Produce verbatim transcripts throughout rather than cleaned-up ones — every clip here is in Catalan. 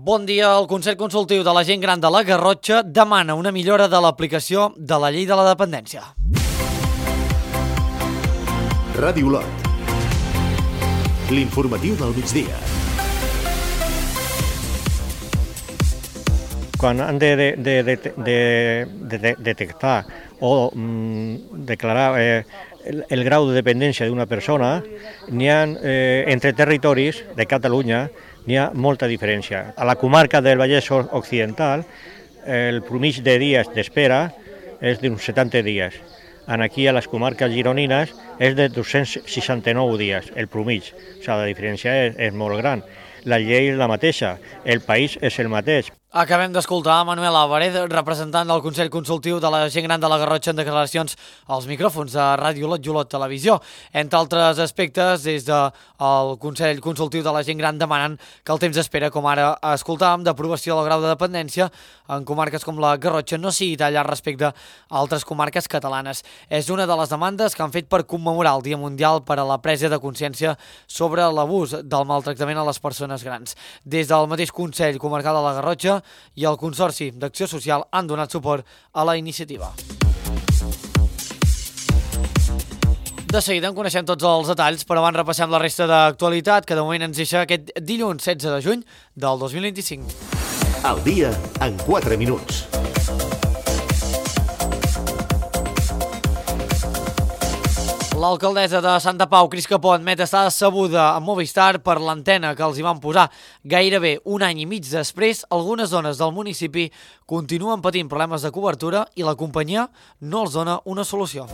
Bon dia. El Consell Consultiu de la Gent Gran de la Garrotxa demana una millora de l'aplicació de la llei de la dependència. Ràdio Olot. L'informatiu del migdia. Quan han de, de, de, de, de, de detectar o mm, declarar eh, el, el grau de dependència d'una persona, n'hi ha eh, entre territoris de Catalunya n'hi ha molta diferència. A la comarca del Vallès Occidental el promig de dies d'espera és d'uns setanta dies. Aquí a les comarques gironines és de dos-cents seixanta-nou dies, el promig. O sigui, la diferència és, és molt gran. La llei és la mateixa, el país és el mateix. Acabem d'escoltar Manuel Álvarez, representant del Consell Consultiu de la Gent Gran de la Garrotxa, en declaracions als micròfons de Ràdio Olot i Olot Televisió. Entre altres aspectes, des del Consell Consultiu de la Gent Gran demanen que el temps d'espera, com ara escoltàvem, d'aprovació del grau de dependència en comarques com la Garrotxa no sigui tallat respecte a altres comarques catalanes. És una de les demandes que han fet per commemorar el Dia Mundial per a la presa de consciència sobre l'abús del maltractament a les persones grans. Des del mateix Consell Comarcal de la Garrotxa i el Consorci d'Acció Social han donat suport a la iniciativa. De seguida en coneixem tots els detalls, però abans repassem la resta d'actualitat que de moment ens deixa aquest dilluns setze de juny del dos mil vint-i-cinc. El dia en quatre minuts. L'alcaldessa de Santa Pau, Cris Capó, admet estar decebuda amb Movistar per l'antena que els hi van posar gairebé un any i mig després. Algunes zones del municipi continuen patint problemes de cobertura i la companyia no els dona una solució.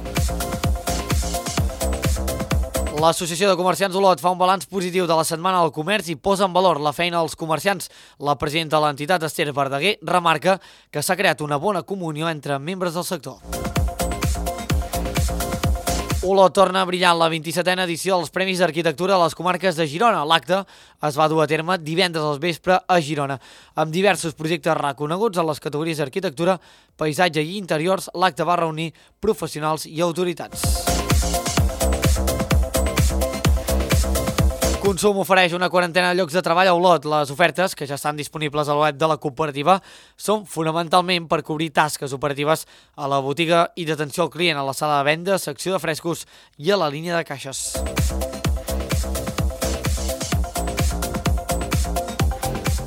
L'Associació de Comerciants Olot fa un balanç positiu de la Setmana del Comerç i posa en valor la feina dels comerciants. La presidenta de l'entitat, Esther Verdaguer, remarca que s'ha creat una bona comunió entre membres del sector. Olot torna a brillar en la vint-i-setena edició dels Premis d'Arquitectura a les comarques de Girona. L'acte es va dur a terme divendres al vespre a Girona. Amb diversos projectes reconeguts en les categories d'arquitectura, paisatge i interiors, l'acte va reunir professionals i autoritats. Consum ofereix una quarantena de llocs de treball a Olot. Les ofertes, que ja estan disponibles al web de la cooperativa, són fonamentalment per cobrir tasques operatives a la botiga i d'atenció al client, a la sala de venda, secció de frescos i a la línia de caixes.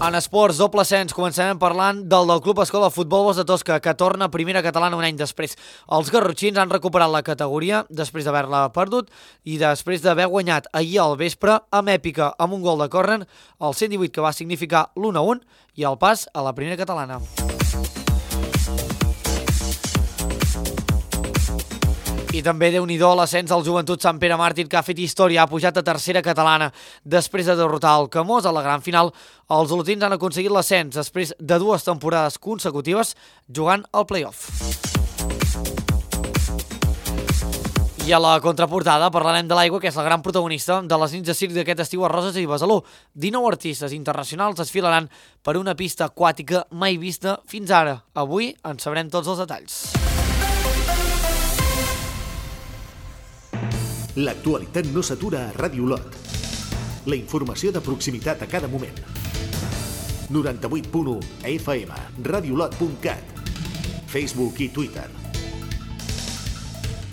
En esports, doble ascens, començarem parlant del del Club Escola Futbol Bosc de Tosca, que torna a primera catalana un any després. Els garrotxins han recuperat la categoria després d'haver-la perdut i després d'haver guanyat ahir al vespre amb èpica amb un gol de córner, el cent divuit, que va significar l'u a un i el pas a la primera catalana. I també déu-n'hi-do l'ascens al Joventut Sant Pere Màrtir, que ha fet història, ha pujat a tercera catalana. Després de derrotar el Camós a la gran final, els olotins han aconseguit l'ascens després de dues temporades consecutives jugant al play-off. I a la contraportada parlarem de l'aigua, que és la gran protagonista de les nits de circ d'aquest estiu a Roses i Besalú. dinou artistes internacionals desfilaran per una pista aquàtica mai vista fins ara. Avui en sabrem tots els detalls. L'actualitat no s'atura a Ràdio Olot. La informació de proximitat a cada moment. noranta-vuit punt u F M, radiolot punt cat, Facebook i Twitter.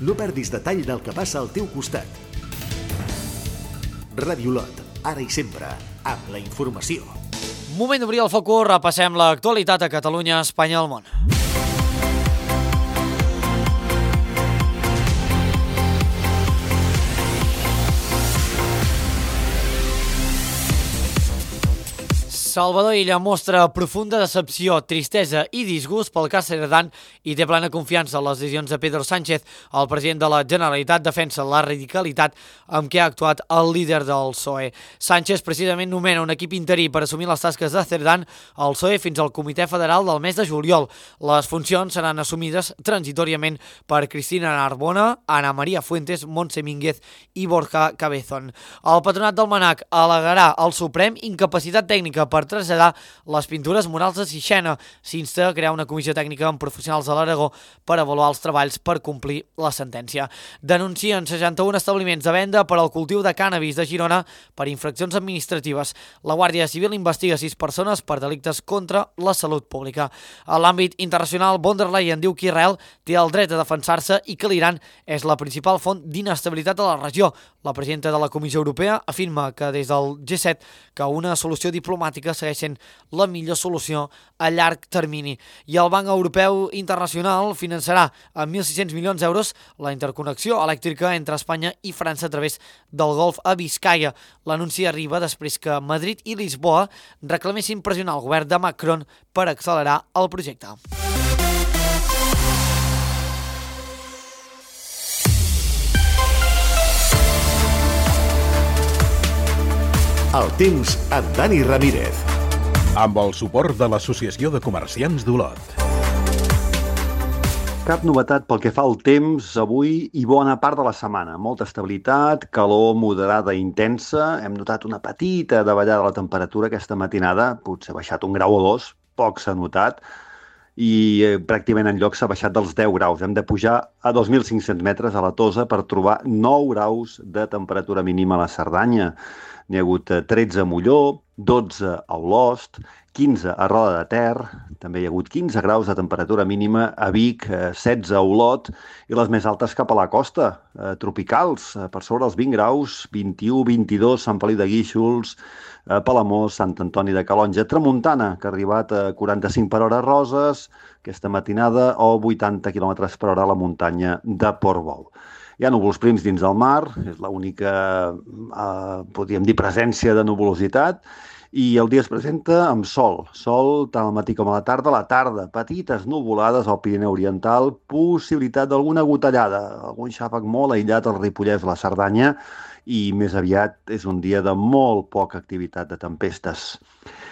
No perdis detall del que passa al teu costat. Ràdio Olot, ara i sempre, amb la informació. Moment d'obrir el focus, repassem l'actualitat a Catalunya, Espanya i el món. Salvador Illa mostra profunda decepció, tristesa i disgust pel cas Cerdán i té plena confiança en les decisions de Pedro Sánchez. El president de la Generalitat defensa la radicalitat amb què ha actuat el líder del P S O E. Sánchez precisament nomena un equip interí per assumir les tasques de Cerdán al P S O E fins al Comitè Federal del mes de juliol. Les funcions seran assumides transitoriament per Cristina Narbona, Ana María Fuentes, Montse Mínguez i Borja Cabezón. El patronat del MNAC al·legarà al Suprem incapacitat tècnica per per traslladar les pintures murals de Sixena. S'insta a crear una comissió tècnica amb professionals de l'Aragó per avaluar els treballs per complir la sentència. Denuncien seixanta-un establiments de venda per al cultiu de cànnabis de Girona per infraccions administratives. La Guàrdia Civil investiga sis persones per delictes contra la salut pública. A l'àmbit internacional, von der Leyen diu que Israel té el dret a defensar-se i que l'Iran és la principal font d'inestabilitat a la regió. La presidenta de la Comissió Europea afirma que des del G set que una solució diplomàtica segueix sent la millor solució a llarg termini. I el Banc Europeu Internacional finançarà amb mil sis-cents milions d'euros la interconnexió elèctrica entre Espanya i França a través del Golf a Biscaia. L'anunci arriba després que Madrid i Lisboa reclamessin pressionar el govern de Macron per accelerar el projecte. El temps amb Dani Ramírez. Amb el suport de l'Associació de Comerciants d'Olot. Cap novetat pel que fa al temps avui i bona part de la setmana. Molta estabilitat, calor moderada i intensa. Hem notat una petita davallada de la temperatura aquesta matinada, potser ha baixat un grau o dos, poc s'ha notat, i eh, pràcticament en lloc s'ha baixat dels deu graus. Hem de pujar a dos mil cinc-cents metres a la Tosa per trobar nou graus de temperatura mínima a la Cerdanya. N'hi ha hagut tretze a Molló, dotze a Olost, quinze a Roda de Ter, també hi ha hagut quinze graus de temperatura mínima a Vic, setze a Olot, i les més altes cap a la costa, eh, tropicals, eh, per sobre els vint graus, vint-i-u, vint-i-dos, Sant Feliu de Guíxols, eh, Palamós, Sant Antoni de Calonja, tramuntana, que ha arribat a quaranta-cinc per hora a Roses, aquesta matinada, o vuitanta quilòmetres per hora a la muntanya de Portbou. Hi ha núvols prims dins del mar, és l'única, eh, podríem dir, presència de nuvolositat, i el dia es presenta amb sol. Sol tant al matí com a la tarda. A la tarda, petites nuvolades al Pirineu Oriental, possibilitat d'alguna gotellada, algun xàfec molt aïllat al Ripollès, la Cerdanya, i més aviat és un dia de molt poca activitat de tempestes.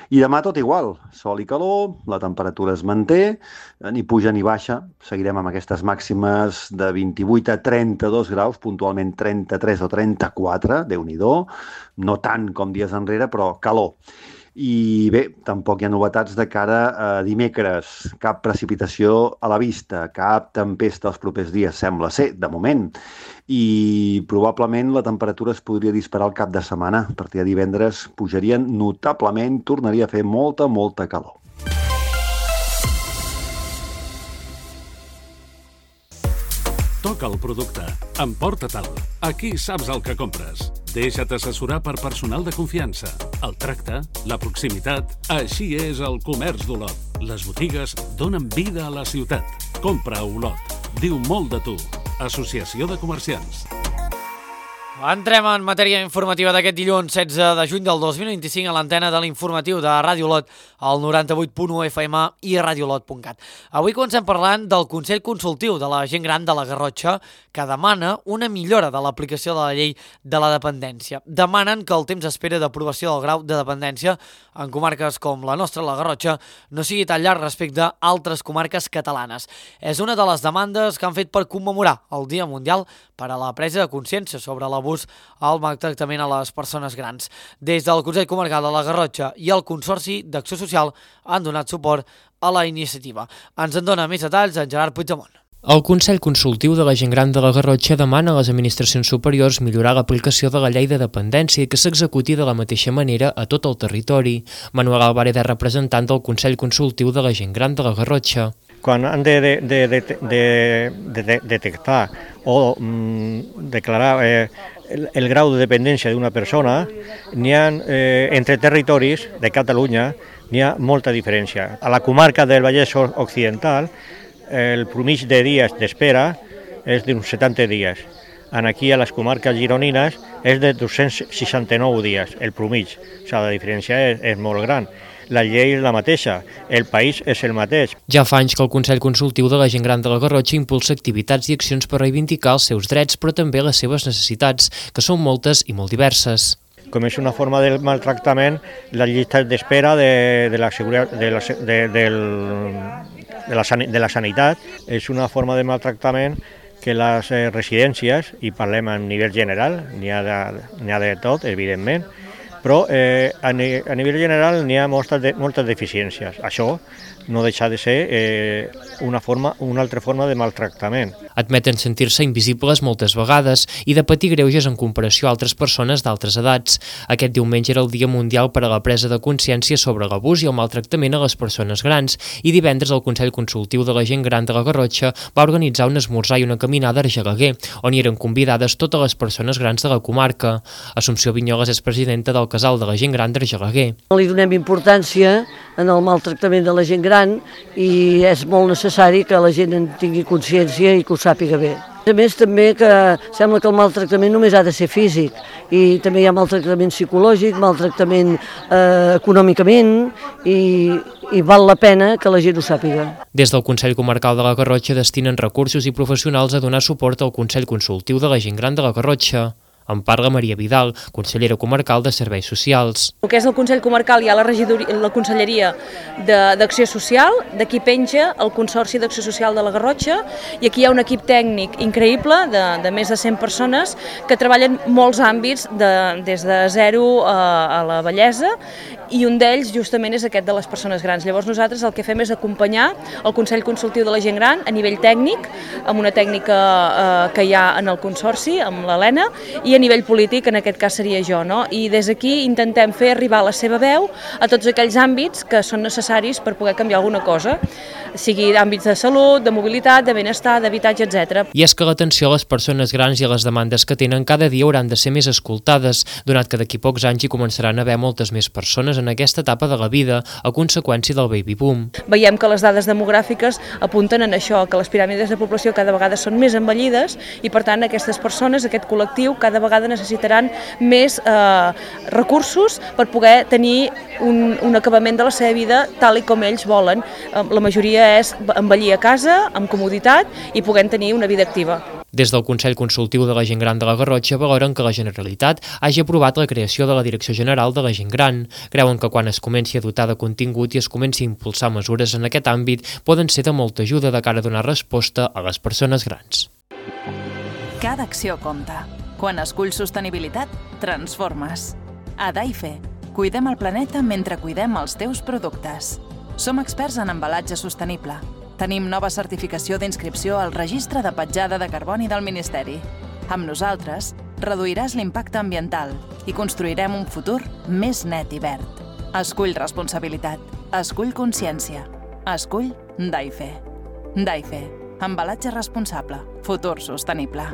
I demà tot igual, sol i calor, la temperatura es manté, ni puja ni baixa, seguirem amb aquestes màximes de vint-i-vuit a trenta-dos graus, puntualment trenta-tres o trenta-quatre, Déu-n'hi-do, no tant com dies enrere, però calor. I bé, tampoc hi ha novetats de cara a dimecres, cap precipitació a la vista, cap tempesta els propers dies, sembla ser, de moment. I probablement la temperatura es podria disparar al cap de setmana. A partir de divendres pujarien notablement, tornaria a fer molta, molta calor. Toca el producte, emporta-te'l. Aquí saps el que compres. Deixa't assessorar per personal de confiança. El tracte, la proximitat, així és el comerç d'Olot. Les botigues donen vida a la ciutat. Compra a Olot. Diu molt de tu. Associació de Comerciants. Entrem en matèria informativa d'aquest dilluns setze de juny del dos mil vint-i-cinc a l'antena de l'informatiu de Ràdio Olot, al noranta-vuit punt u F M i radiolot punt cat. Avui comencem parlant del Consell Consultiu de la Gent Gran de la Garrotxa, que demana una millora de l'aplicació de la llei de la dependència. Demanen que el temps d'espera d'aprovació del grau de dependència en comarques com la nostra, la Garrotxa, no sigui tan llarg respecte a altres comarques catalanes. És una de les demandes que han fet per commemorar el Dia Mundial per a la presa de consciència sobre l'abús al maltractament a les persones grans. Des del Consell Comarcal de la Garrotxa i el Consorci d'Acció Social han donat suport a la iniciativa. Ens en dona més detalls en Gerard Puigdemont. El Consell Consultiu de la Gent Gran de la Garrotxa demana a les administracions superiors millorar l'aplicació de la llei de dependència i que s'executi de la mateixa manera a tot el territori. Manuel Álvarez és representant del Consell Consultiu de la Gent Gran de la Garrotxa. Quan han de, de, de, de, de, de, de detectar o mm, declarar eh, el, el grau de dependència d'una persona, n'hi ha, eh, entre territoris de Catalunya, n'hi ha molta diferència. A la comarca del Vallès Occidental, el promig de dies d'espera és d'uns setanta dies. Aquí a les comarques gironines és de dos-cents seixanta-nou dies, el promig. O sigui, la diferència és, és molt gran. La llei és la mateixa, el país és el mateix. Ja fa anys que el Consell Consultiu de la Gent Gran de la Garrotxa impulsa activitats i accions per reivindicar els seus drets, però també les seves necessitats, que són moltes i molt diverses. Com és una forma de maltractament, la llista d'espera de, de, la seguretat, de, la, de, del, de, la, de la sanitat és una forma de maltractament que les residències, i parlem a nivell general, n'hi ha, de, n'hi ha de tot, evidentment, però eh, a, ni, a nivell general n'hi ha moltes, de, moltes deficiències. Això no deixa de ser eh, una, forma, una altra forma de maltractament. Admeten sentir-se invisibles moltes vegades i de patir greuges en comparació a altres persones d'altres edats. Aquest diumenge era el Dia Mundial per a la presa de consciència sobre l'abús i el maltractament a les persones grans i divendres el Consell Consultiu de la Gent Gran de la Garrotxa va organitzar un esmorzar i una caminada a Argelaguer, on hi eren convidades totes les persones grans de la comarca. Assumpció Vinyoles és presidenta del Casal de la Gent Gran d'Argelaguer. Li donem importància en el maltractament de la gent gran i és molt necessari que la gent en tingui consciència i que ho sàpiga bé. A més, també que sembla que el maltractament només ha de ser físic i també hi ha maltractament psicològic, maltractament eh, econòmicament i, i val la pena que la gent ho sàpiga. Des del Consell Comarcal de la Garrotxa destinen recursos i professionals a donar suport al Consell Consultiu de la Gent Gran de la Garrotxa. En parla Maria Vidal, consellera comarcal de Serveis Socials. El que és el Consell Comarcal hi ha la, la Conselleria d'Acció Social, d'aquí penja el Consorci d'Acció Social de la Garrotxa i aquí hi ha un equip tècnic increïble de, de més de cent persones que treballen molts àmbits de, des de zero a, a la vellesa i un d'ells justament és aquest de les persones grans. Llavors nosaltres el que fem és acompanyar el Consell Consultiu de la Gent Gran a nivell tècnic, amb una tècnica eh, que hi ha en el Consorci, amb l'Helena, i a nivell polític, en aquest cas seria jo, no? I des d'aquí intentem fer arribar la seva veu a tots aquells àmbits que són necessaris per poder canviar alguna cosa, sigui d'àmbits de salut, de mobilitat, de benestar, d'habitatge, etcètera. I és que l'atenció a les persones grans i a les demandes que tenen cada dia hauran de ser més escoltades, donat que d'aquí pocs anys hi començaran a haver moltes més persones en aquesta etapa de la vida a conseqüència del baby boom. Veiem que les dades demogràfiques apunten en això, que les piràmides de població cada vegada són més envellides i per tant aquestes persones, aquest col·lectiu, cada vegada necessitaran més eh, recursos per poder tenir un, un acabament de la seva vida tal i com ells volen. Eh, la majoria és envellir a casa, amb comoditat i puguem tenir una vida activa. Des del Consell Consultiu de la Gent Gran de la Garrotxa valoren que la Generalitat hagi aprovat la creació de la Direcció General de la Gent Gran. Creuen que quan es comenci a dotar de contingut i es comenci a impulsar mesures en aquest àmbit poden ser de molta ajuda de cara a donar resposta a les persones grans. Cada acció compta. Quan esculls sostenibilitat, transformes. A Daife, cuidem el planeta mentre cuidem els teus productes. Som experts en embalatge sostenible. Tenim nova certificació d'inscripció al Registre de Petjada de Carboni del Ministeri. Amb nosaltres, reduiràs l'impacte ambiental i construirem un futur més net i verd. Escull responsabilitat. Escull consciència. Escull Daife. Daife. Embalatge responsable. Futur sostenible.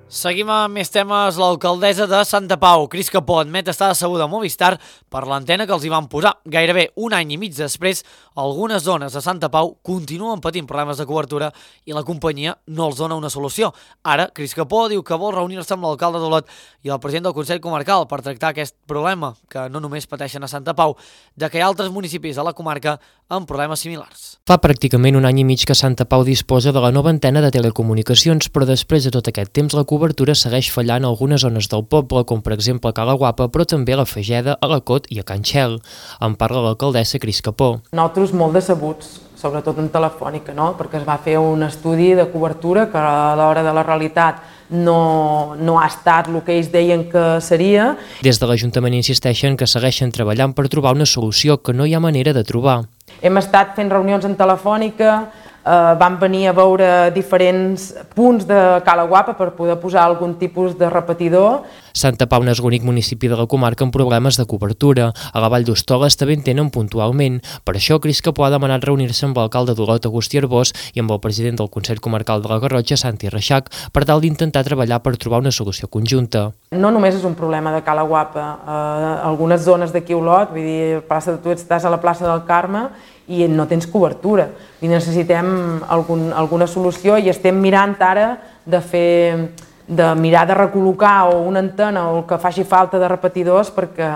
Seguim amb més temes. L'alcaldessa de Santa Pau, Cris Capó, admet estar decebuda a Movistar per l'antena que els hi van posar. Gairebé un any i mig després, algunes zones de Santa Pau continuen patint problemes de cobertura i la companyia no els dona una solució. Ara, Cris Capó diu que vol reunir-se amb l'alcalde d'Olot i el president del Consell Comarcal per tractar aquest problema, que no només pateixen a Santa Pau, de que hi ha altres municipis a la comarca amb problemes similars. Fa pràcticament un any i mig que Santa Pau disposa de la nova antena de telecomunicacions, però després de tot aquest temps la cobertura segueix fallant a algunes zones del poble, com per exemple a Cala Guapa, però també a la Fageda, a la Cot i a Can Xel. En parla l'alcaldessa Cris Capó. Nosaltres molt decebuts, sobretot en Telefònica, no? Perquè es va fer un estudi de cobertura que a l'hora de la realitat no, no ha estat el que ells deien que seria. Des de l'Ajuntament insisteixen que segueixen treballant per trobar una solució que no hi ha manera de trobar. Hem estat fent reunions en Telefònica, eh, vam venir a veure diferents punts de Cala Guapa per poder posar algun tipus de repetidor. Santa Pau no és l'únic municipi de la comarca amb problemes de cobertura. A la Vall d'Hostoles també en tenen puntualment. Per això, Cris Capó ha demanat reunir-se amb l'alcalde d'Olot, Agustí Arbós, i amb el president del Consell Comarcal de la Garrotxa, Santi Reixac, per tal d'intentar treballar per trobar una solució conjunta. No només és un problema de Cala Guapa. Eh, algunes zones d'aquí a Olot, vull dir, plaça, tu estàs a la plaça del Carme i no tens cobertura. I necessitem algun, alguna solució i estem mirant ara de fer... de mirar de recol·locar o una antena o el que faci falta de repetidors perquè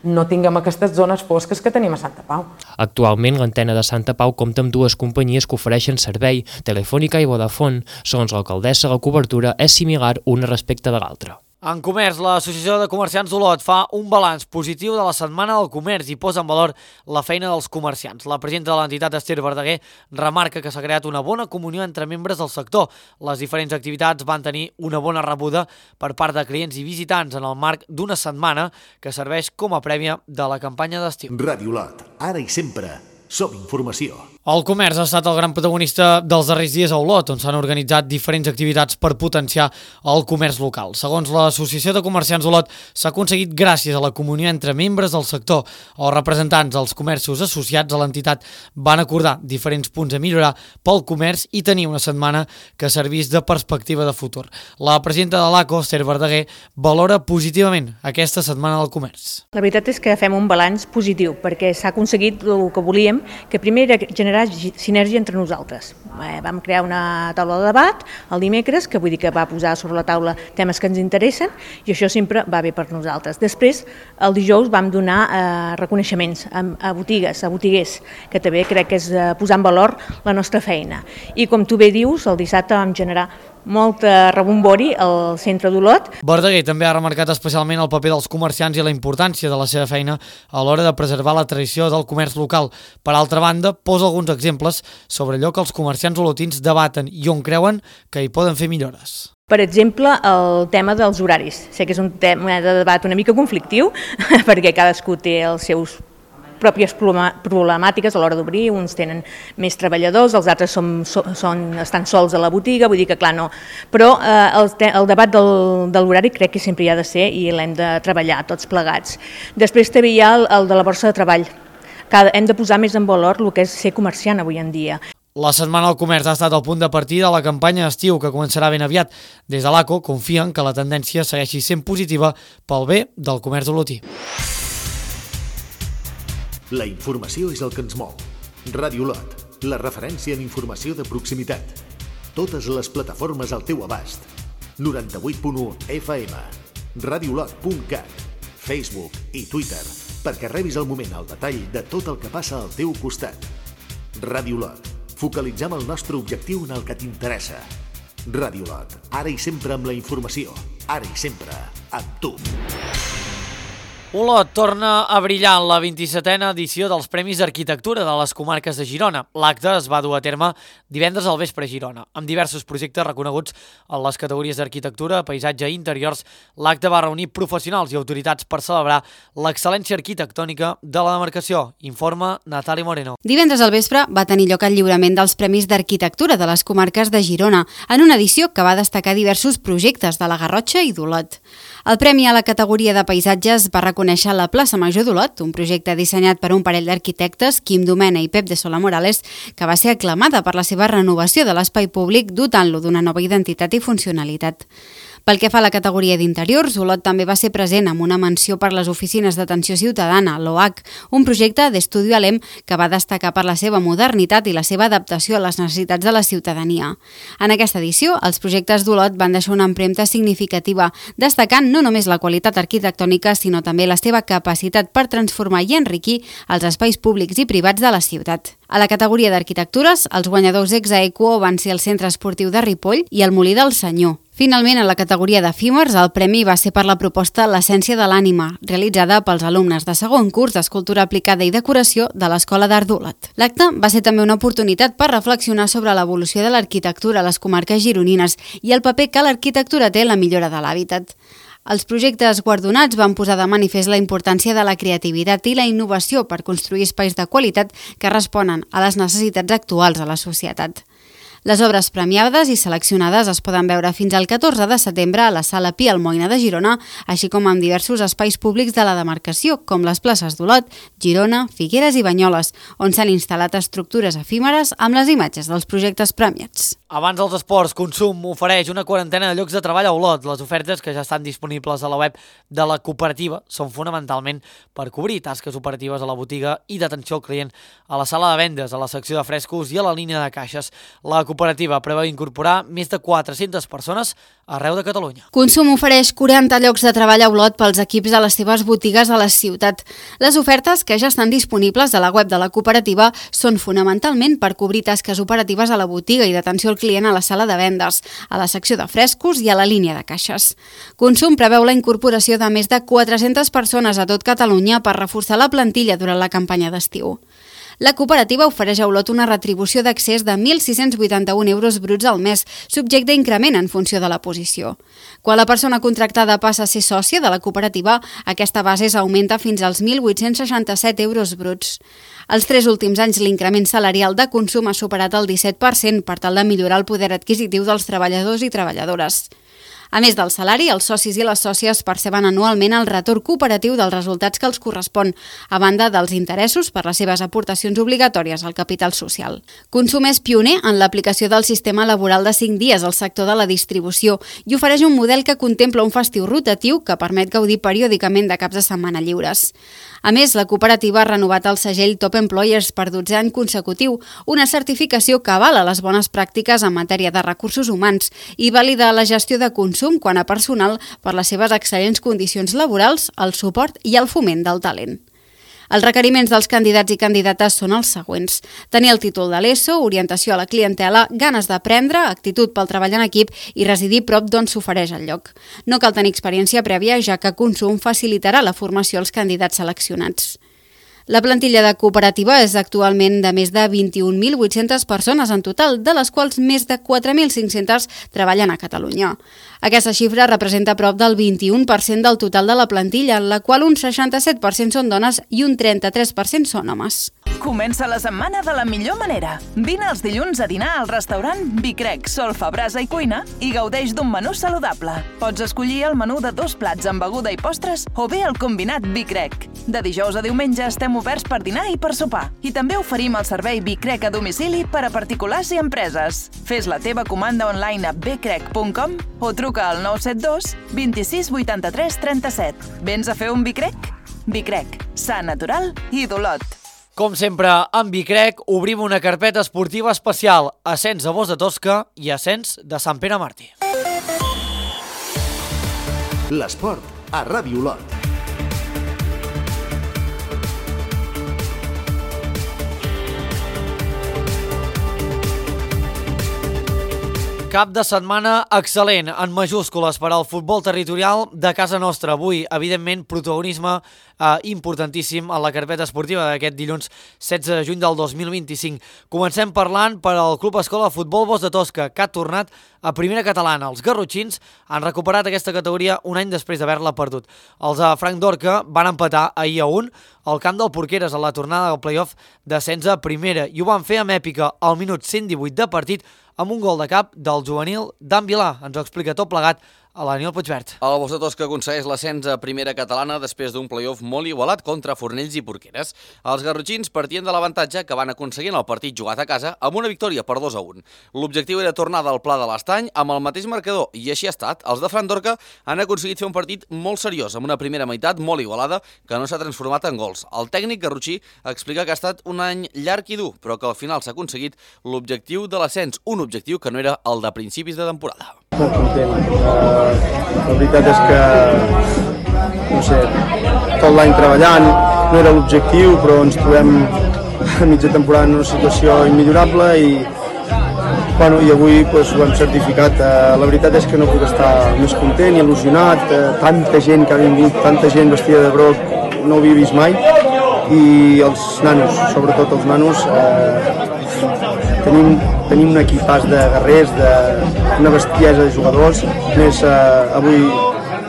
no tinguem aquestes zones fosques que tenim a Santa Pau. Actualment, l'antena de Santa Pau compta amb dues companyies que ofereixen servei, Telefònica i Vodafone. Segons l'alcaldessa, la cobertura és similar una respecte de l'altra. En comerç, l'Associació de Comerciants d'Olot fa un balanç positiu de la Setmana del Comerç i posa en valor la feina dels comerciants. La presidenta de l'entitat, Esther Verdaguer, remarca que s'ha creat una bona comunió entre membres del sector. Les diferents activitats van tenir una bona rebuda per part de clients i visitants en el marc d'una setmana que serveix com a prèvia de la campanya d'estiu. Ràdio Olot, ara i sempre, som informació. El comerç ha estat el gran protagonista dels darrers dies a Olot, on s'han organitzat diferents activitats per potenciar el comerç local. Segons l'Associació de Comerciants d'Olot, s'ha aconseguit gràcies a la comunió entre membres del sector. Els representants dels comerços associats a l'entitat van acordar diferents punts a millorar pel comerç i tenir una setmana que servís de perspectiva de futur. La presidenta de l'A C O, Esther Verdaguer, valora positivament aquesta setmana del comerç. La veritat és que fem un balanç positiu, perquè s'ha aconseguit el que volíem, que primer era generar sinergia entre nosaltres. Eh, vam crear una taula de debat el dimecres, que vull dir que va posar sobre la taula temes que ens interessen, i això sempre va bé per nosaltres. Després, el dijous vam donar eh, reconeixements a, a botigues, a botiguers, que també crec que és eh, posar en valor la nostra feina. I com tu bé dius, el dissabte vam generar molt rebombori al centre d'Olot. Verdaguer també ha remarcat especialment el paper dels comerciants i la importància de la seva feina a l'hora de preservar la tradició del comerç local. Per altra banda, posa alguns exemples sobre allò que els comerciants olotins debaten i on creuen que hi poden fer millores. Per exemple, el tema dels horaris. Sé que és un tema de debat una mica conflictiu, perquè cadascú té els seus pròpies problemàtiques a l'hora d'obrir, uns tenen més treballadors, els altres són, són, estan sols a la botiga, vull dir que clar no, però eh, el, el debat del, de l'horari crec que sempre hi ha de ser i l'hem de treballar tots plegats. Després també hi ha el, el de la borsa de treball, que hem de posar més en valor el que és ser comerciant avui en dia. La Setmana del Comerç ha estat el punt de partida de la campanya d'estiu que començarà ben aviat. Des de l'A C O confien que la tendència segueixi sent positiva pel bé del comerç olotí. La informació és el que ens mou. Ràdio Olot, la referència en informació de proximitat. Totes les plataformes al teu abast. noranta-vuit punt u F M, radiolot punt cat, Facebook i Twitter, perquè rebis al moment el detall de tot el que passa al teu costat. Ràdio Olot, focalitzem el nostre objectiu en el que t'interessa. Ràdio Olot, ara i sempre amb la informació, ara i sempre amb tu. Olot torna a brillar en la vint-i-setena edició dels Premis d'Arquitectura de les Comarques de Girona. L'acte es va dur a terme divendres al vespre a Girona. Amb diversos projectes reconeguts en les categories d'arquitectura, paisatge i interiors, l'acte va reunir professionals i autoritats per celebrar l'excel·lència arquitectònica de la demarcació. Informa Natàlia Moreno. Divendres al vespre va tenir lloc el lliurament dels Premis d'Arquitectura de les Comarques de Girona, en una edició que va destacar diversos projectes de la Garrotxa i d'Olot. El premi a la categoria de paisatges va reconèixer la plaça Major d'Olot, un projecte dissenyat per un parell d'arquitectes, Quim Domena i Pep de Sola Morales, que va ser aclamada per la seva renovació de l'espai públic, dotant-lo d'una nova identitat i funcionalitat. Pel que fa a la categoria d'interiors, Olot també va ser present amb una menció per les oficines d'atenció ciutadana, l'O H, un projecte d'Estudio Alem que va destacar per la seva modernitat i la seva adaptació a les necessitats de la ciutadania. En aquesta edició, els projectes d'Olot van deixar una empremta significativa, destacant no només la qualitat arquitectònica, sinó també la seva capacitat per transformar i enriquir els espais públics i privats de la ciutat. A la categoria d'arquitectures, els guanyadors ex aequo van ser el Centre Esportiu de Ripoll i el Molí del Senyor. Finalment, a la categoria d'efímers, el premi va ser per la proposta L'essència de l'ànima, realitzada pels alumnes de segon curs d'Escultura aplicada i decoració de l'Escola d'Art d'Olot. L'acte va ser també una oportunitat per reflexionar sobre l'evolució de l'arquitectura a les comarques gironines i el paper que l'arquitectura té en la millora de l'hàbitat. Els projectes guardonats van posar de manifest la importància de la creativitat i la innovació per construir espais de qualitat que responen a les necessitats actuals de la societat. Les obres premiades i seleccionades es poden veure fins al catorze de setembre a la Sala Pi Almoina de Girona, així com en diversos espais públics de la demarcació, com les places d'Olot, Girona, Figueres i Banyoles, on s'han instal·lat estructures efímeres amb les imatges dels projectes premiats. Abans dels esports, Consum ofereix una quarantena de llocs de treball a Olot. Les ofertes que ja estan disponibles a la web de la cooperativa són fonamentalment per cobrir tasques operatives a la botiga i d'atenció al client, a la sala de vendes, a la secció de frescos i a la línia de caixes. La cooperativa cooperativa preveu incorporar més de quatre-centes persones arreu de Catalunya. Consum ofereix quaranta llocs de treball a Olot pels equips de les seves botigues a la ciutat. Les ofertes, que ja estan disponibles a la web de la cooperativa, són fonamentalment per cobrir tasques operatives a la botiga i d'atenció al client a la sala de vendes, a la secció de frescos i a la línia de caixes. Consum preveu la incorporació de més de quatre-centes persones a tot Catalunya per reforçar la plantilla durant la campanya d'estiu. La cooperativa ofereix a Olot una retribució d'accés de mil sis-cents vuitanta-un euros bruts al mes, subjecte a increment en funció de la posició. Quan la persona contractada passa a ser sòcia de la cooperativa, aquesta base s'augmenta fins als mil vuit-cents seixanta-set euros bruts. Els tres últims anys l'increment salarial de Consum ha superat el disset per cent per tal de millorar el poder adquisitiu dels treballadors i treballadores. A més del salari, els socis i les sòcies perceben anualment el retorn cooperatiu dels resultats que els correspon, a banda dels interessos per les seves aportacions obligatòries al capital social. Consum és pioner en l'aplicació del sistema laboral de cinc dies al sector de la distribució i ofereix un model que contempla un festiu rotatiu que permet gaudir periòdicament de caps de setmana lliures. A més, la cooperativa ha renovat el segell Top Employers per dotzè any consecutiu, una certificació que avala les bones pràctiques en matèria de recursos humans i valida la gestió de consum quant a personal per les seves excel·lents condicions laborals, el suport i el foment del talent. Els requeriments dels candidats i candidates són els següents: tenir el títol de l'ESO, orientació a la clientela, ganes d'aprendre, actitud pel treball en equip i residir prop d'on s'ofereix el lloc. No cal tenir experiència prèvia, ja que Consum facilitarà la formació als candidats seleccionats. La plantilla de cooperativa és actualment de més de vint-i-un mil vuit-centes persones en total, de les quals més de quatre mil cinc-centes treballen a Catalunya. Aquesta xifra representa prop del vint-i-un per cent del total de la plantilla, en la qual un seixanta-set per cent són dones i un trenta-tres per cent són homes. Comença la setmana de la millor manera. Vine els dilluns a dinar al restaurant Bicrec, Solfa, Brasa i Cuina i gaudeix d'un menú saludable. Pots escollir el menú de dos plats amb beguda i postres o bé el combinat Bicrec. De dijous a diumenge estem oberts per dinar i per sopar. I també oferim el servei Bicrec a domicili per a particulars i empreses. Fes la teva comanda online a bcrec punt com o truca al nou set dos vint-i-sis vuitanta-tres trenta-set. Vens a fer un Bicrec? Bicrec, sa natural i d'Olot. Com sempre, amb Bicrec obrim una carpeta esportiva especial, ascens a Bos de Tosca i ascens de Sant Pere Martí. L'esport a Ràdio Olot. Cap de setmana excel·lent, en majúscules, per al futbol territorial de casa nostra. Avui, evidentment, protagonisme eh, importantíssim en la carpeta esportiva d'aquest dilluns setze de juny del dos mil vint-i-cinc. Comencem parlant per al Club Escola de Futbol Bos de Tosca, que ha tornat a primera catalana. Els garrotxins han recuperat aquesta categoria un any després d'haver-la perdut. Els de Frank Dorca van empatar ahir a un al camp del Porqueres a la tornada del play-off d'ascens a primera i ho van fer amb èpica al minut cent divuit de partit amb un gol de cap del juvenil Dan Vilà. Ens ho explica tot plegat a l'Aniol Puigvert. El Bos de Tosca aconsegueix l'ascens a primera catalana després d'un play-off molt igualat contra Fornells i Porqueres. Els garrotxins partien de l'avantatge que van aconseguir en el partit jugat a casa amb una victòria per dos a un. L'objectiu era tornar del Pla de l'Estany amb el mateix marcador i així ha estat. Els de Fran Dorca han aconseguit fer un partit molt seriós amb una primera meitat molt igualada que no s'ha transformat en gols. El tècnic garrotxí explica que ha estat un any llarg i dur, però que al final s'ha aconseguit l'objectiu de l'ascens, un objectiu que no era el de principis de temporada. Molt content. Uh, la veritat és que, no sé, tot l'any treballant, no era l'objectiu, però ens trobem a mitja temporada en una situació immillorable i, bueno, i avui pues, ho hem certificat. Uh, la veritat és que no puc estar més content i il·lusionat. Uh, tanta gent que ha vingut, tanta gent vestida de groc, no ho havia vist mai. I els nanos, sobretot els nanos, eh, tenim, tenim un equipàs de guerrers, de, una bestiesa de jugadors, més eh, avui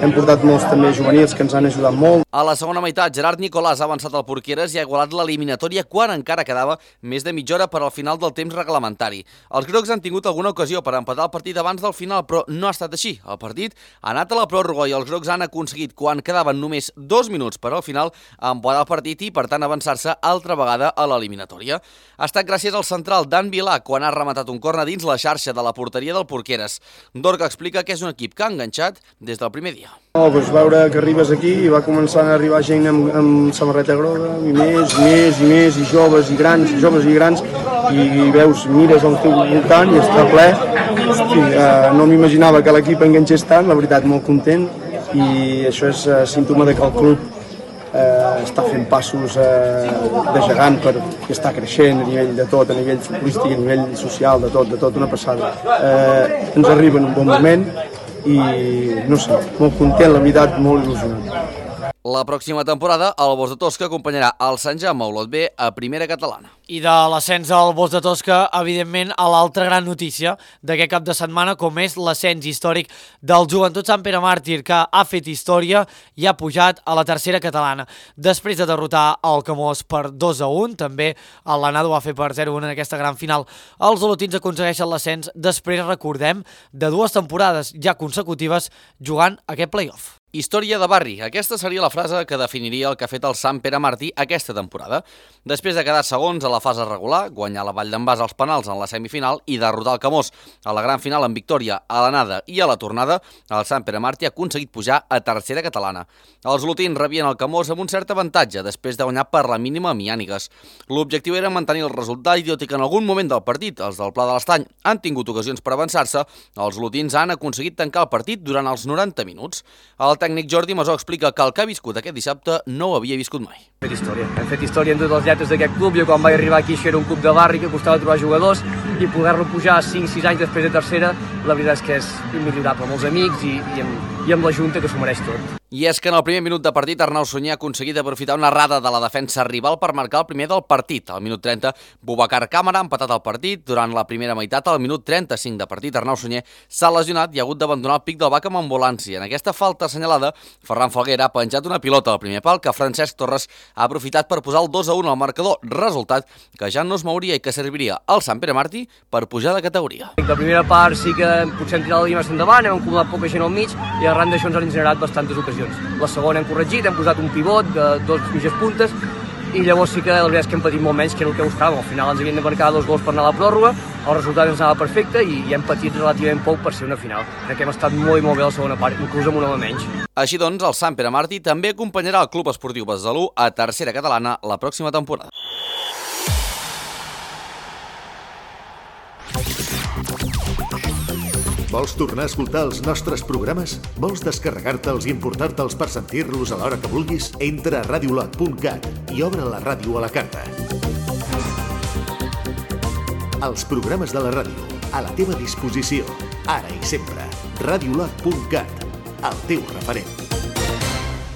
hem portat molts també juvenils que ens han ajudat molt. A la segona meitat, Gerard Nicolàs ha avançat al Porqueres i ha igualat l'eliminatòria quan encara quedava més de mitja hora per al final del temps reglamentari. Els grocs han tingut alguna ocasió per empatar el partit abans del final, però no ha estat així. El partit ha anat a la pròrroga i els grocs han aconseguit, quan quedaven només dos minuts per al final, empatar el partit i, per tant, avançar-se altra vegada a l'eliminatòria. Ha estat gràcies al central Dan Vilà, quan ha rematat un corna dins la xarxa de la porteria del Porqueres. Dorca explica que és un equip que ha enganxat des del primer dia. No, doncs veure que arribes aquí i va començar a arribar gent amb, amb samarreta groga, i més, i més, i més, i joves i grans, joves i grans, i veus, mires al teu voltant i està ple. Hosti, eh, no m'imaginava que l'equip enganxés tant, la veritat, molt content, i això és eh, símptoma de que el club eh, està fent passos eh, de gegant per, i està creixent a nivell de tot, a nivell futbolístic, a nivell social, de tot, de tot, una passada. Eh, ens arriba en un bon moment i, no sé, molt content, la veritat, molt il·lusionat. La pròxima temporada, el Bos de Tosca acompanyarà el Sant Jaume Olot B a Primera Catalana. I de l'ascens al Bos de Tosca, evidentment, a l'altra gran notícia d'aquest cap de setmana, com és l'ascens històric del Joventut Sant Pere Màrtir, que ha fet història i ha pujat a la tercera catalana. Després de derrotar el Camós per dos a un, també el Lanado va fer per zero a un en aquesta gran final, els olotins aconsegueixen l'ascens després, recordem, de dues temporades ja consecutives jugant aquest play-off. Història de barri. Aquesta seria la frase que definiria el que ha fet el Sant Pere Màrtir aquesta temporada. Després de quedar segons a la fase regular, guanyar la Vall d'en Bas als penals en la semifinal i derrotar el Camós a la gran final amb victòria a l'anada i a la tornada, el Sant Pere Màrtir ha aconseguit pujar a tercera catalana. Els olotins rebien el Camós amb un cert avantatge després de guanyar per la mínima a Miànigues. L'objectiu era mantenir el resultat i tot i que en algun moment del partit els del Pla de l'Estany han tingut ocasions per avançar-se, els olotins han aconseguit tancar el partit durant els noranta minuts. El tècnic Jordi Masó explica que el que ha viscut aquest dissabte no ho havia viscut mai. Hem fet història, hem fet història en totes les lletres d'aquest club. Jo quan vaig arribar aquí això era un club de barri que costava trobar jugadors i poder-lo pujar cinc sis anys després de tercera, la veritat és que és immillorable, amb els amics i, i, amb, i amb la Junta, que s'ho mereix tot. I és que en el primer minut de partit Arnau Sunyer ha aconseguit aprofitar una errada de la defensa rival per marcar el primer del partit. Al minut trenta, Boubacar Càmara ha empatat el partit. Durant la primera meitat, al minut trenta-cinc de partit, Arnau Sunyer s'ha lesionat i ha hagut d'abandonar el Pic del Bac amb ambulància. En aquesta falta assenyalada, Ferran Falguera ha penjat una pilota al primer pal que Francesc Torres ha aprofitat per posar el dos a un al marcador, resultat que ja no es mouria i que serviria al Sant Pere Màrtir per pujar de categoria. La primera part sí que potser hem tirat la línia més endavant, hem acumulat poca gent al mig i arran d'això ens han generat bastantes ocasions. La segona hem corregit, hem posat un pivot de dos mitges puntes i llavors sí que la veritat és que hem patit molt menys que el que buscàvem. Al final ens havien de marcar dos gols per anar a la pròrroga, el resultat ens anava perfecte i, i hem patit relativament poc per ser una final. Crec que hem estat molt i molt bé a la segona part, inclús amb un home menys. Així doncs, el Sant Pere Màrtir també acompanyarà el Club Esportiu Besalú a tercera catalana la pròxima temporada. Vols tornar a escoltar els nostres programes? Vols descarregar-te'ls i importar-te'ls per sentir-los a l'hora que vulguis? Entra a radiolot punt cat i obre la ràdio a la carta. Els programes de la ràdio, a la teva disposició, ara i sempre. radiolot punt cat, el teu referent.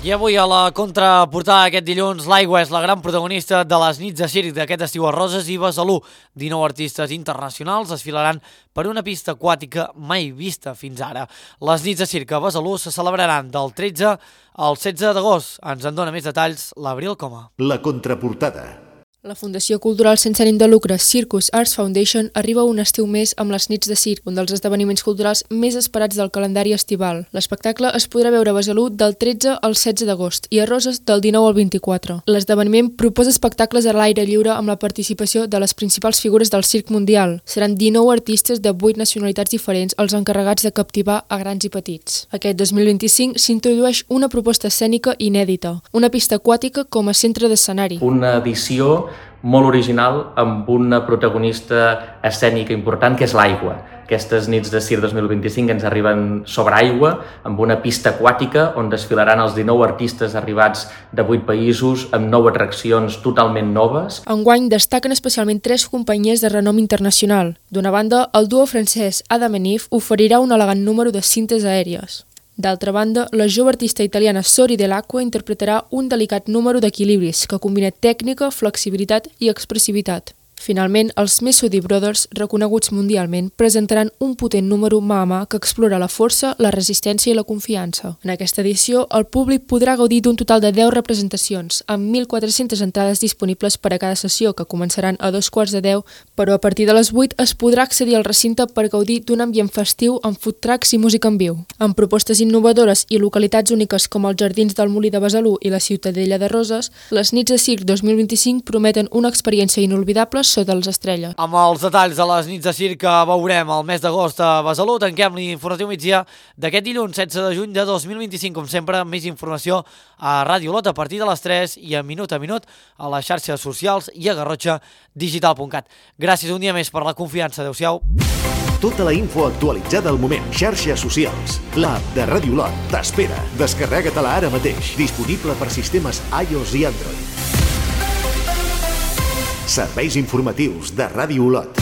I avui a la contraportada aquest dilluns, l'Aigua és la gran protagonista de les nits de circ d'aquest estiu a Roses i Besalú. dinou artistes internacionals desfilaran per una pista aquàtica mai vista fins ara. Les nits de circ a Besalú se celebraran del tretze al setze d'agost. Ens en dona més detalls l'Abril Coma. La contraportada. La Fundació Cultural sense ànim de lucre Circus Arts Foundation arriba un estiu més amb les nits de circ, un dels esdeveniments culturals més esperats del calendari estival. L'espectacle es podrà veure a Besalú del tretze al setze d'agost i a Roses del dinou al vint-i-quatre. L'esdeveniment proposa espectacles a l'aire lliure amb la participació de les principals figures del circ mundial. Seran dinou artistes de vuit nacionalitats diferents els encarregats de captivar a grans i petits. Aquest dos mil vint-i-cinc s'introdueix una proposta escènica inèdita, una pista aquàtica com a centre d'escenari. Una edició molt original amb una protagonista escènica important que és l'aigua. Aquestes nits de circ dos mil vint-i-cinc ens arriben sobre aigua amb una pista aquàtica on desfilaran els dinou artistes arribats de vuit països amb nou atraccions totalment noves. Enguany destaquen especialment tres companyies de renom internacional. D'una banda, el duo francès Adam and Eve oferirà un elegant número de cintes aèries. D'altra banda, la jove artista italiana Sori Dell'Acqua interpretarà un delicat número d'equilibris que combina tècnica, flexibilitat i expressivitat. Finalment, els Mesudi Brothers, reconeguts mundialment, presentaran un potent número mà a mà que explora la força, la resistència i la confiança. En aquesta edició, el públic podrà gaudir d'un total de deu representacions, amb mil quatre-centes entrades disponibles per a cada sessió, que començaran a dos quarts de deu, però a partir de les vuit es podrà accedir al recinte per gaudir d'un ambient festiu amb food trucks i música en viu. Amb propostes innovadores i localitats úniques com els Jardins del Molí de Besalú i la Ciutadella de Roses, les nits de circ dos mil vint-i-cinc prometen una experiència inolvidable sota les estrelles. Amb els detalls de les nits de circ que veurem el mes d'agost a Besalú, tanquem l'informatiu migdia d'aquest dilluns setze de juny de dos mil vint-i-cinc. Com sempre, més informació a Ràdio Olot a partir de les tres i a minut a minut a les xarxes socials i a garrotxa digital punt cat. Gràcies un dia més per la confiança. Adéu-siau. Tota la info actualitzada al moment. Xarxes socials. L'app de Ràdio Olot t'espera. Descarrega-te-la ara mateix. Disponible per sistemes iOS i Android. Serveis informatius de Ràdio Olot.